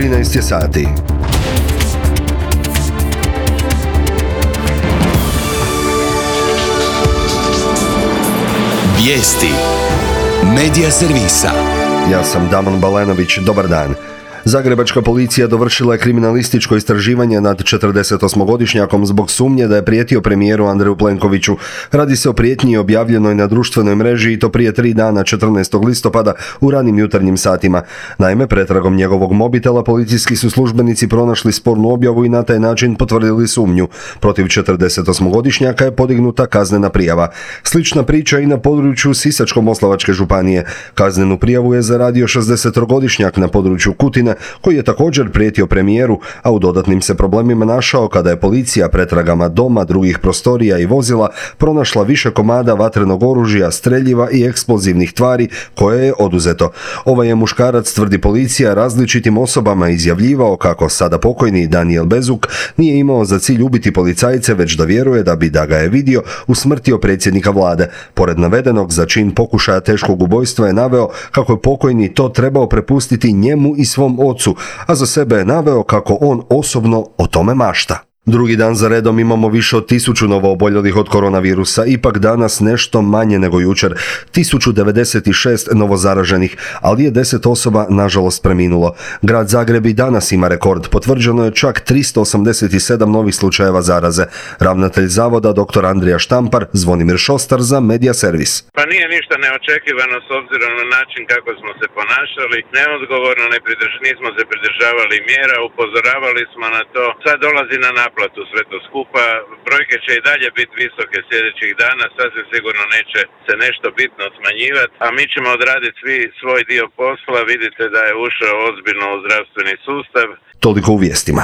13 je sati. Vijesti Medija servisa. Ja sam Damon Balenović, dobar dan. Zagrebačka policija dovršila je kriminalističko istraživanje nad 48-godišnjakom zbog sumnje da je prijetio premijeru Andreju Plenkoviću. Radi se o prijetnji objavljenoj na društvenoj mreži i to prije 3 dana 14. listopada u ranim jutarnjim satima. Naime, pretragom njegovog mobitela policijski su službenici pronašli spornu objavu i na taj način potvrdili sumnju. Protiv 48-godišnjaka je podignuta kaznena prijava. Slična priča i na području Sisačko-moslavačke županije. Kaznenu prijavu je zaradio 60-godišnjak na području Kutine, koji je također prijetio premijeru, a u dodatnim se problemima našao kada je policija pretragama doma, drugih prostorija i vozila pronašla više komada vatrenog oružja, streljiva i eksplozivnih tvari koje je oduzeto. Ovaj je muškarac, tvrdi policija, različitim osobama izjavljivao kako sada pokojni Danijel Bezuk nije imao za cilj ubiti policajce, već da vjeruje da bi, da ga je vidio, usmrtio predsjednika vlade. Pored navedenog, za čin pokušaja teškog ubojstva je naveo kako je pokojni to trebao prepustiti njemu i svom ocu, a za sebe je naveo kako on osobno o tome mašta. Drugi dan za redom imamo više od 1000 novooboljelih od koronavirusa, ipak danas nešto manje nego jučer, 1096 novozaraženih, ali je 10 osoba nažalost preminulo. Grad Zagreb i danas ima rekord, potvrđeno je čak 387 novih slučajeva zaraze. Ravnatelj zavoda dr. Andrija Štampar, Zvonimir Šostar za Medija servis. Pa nije ništa neočekivano s obzirom na način kako smo se ponašali, neodgovorno nismo se pridržavali mjera, upozoravali smo na to, sad dolazi na naplatu sve to skupa, brojke će i dalje biti visoke sljedećih dana, sasvim sigurno neće se nešto bitno smanjivati, a mi ćemo odraditi svi svoj dio posla, vidite da je ušao ozbiljno u zdravstveni sustav. Toliko u vijestima.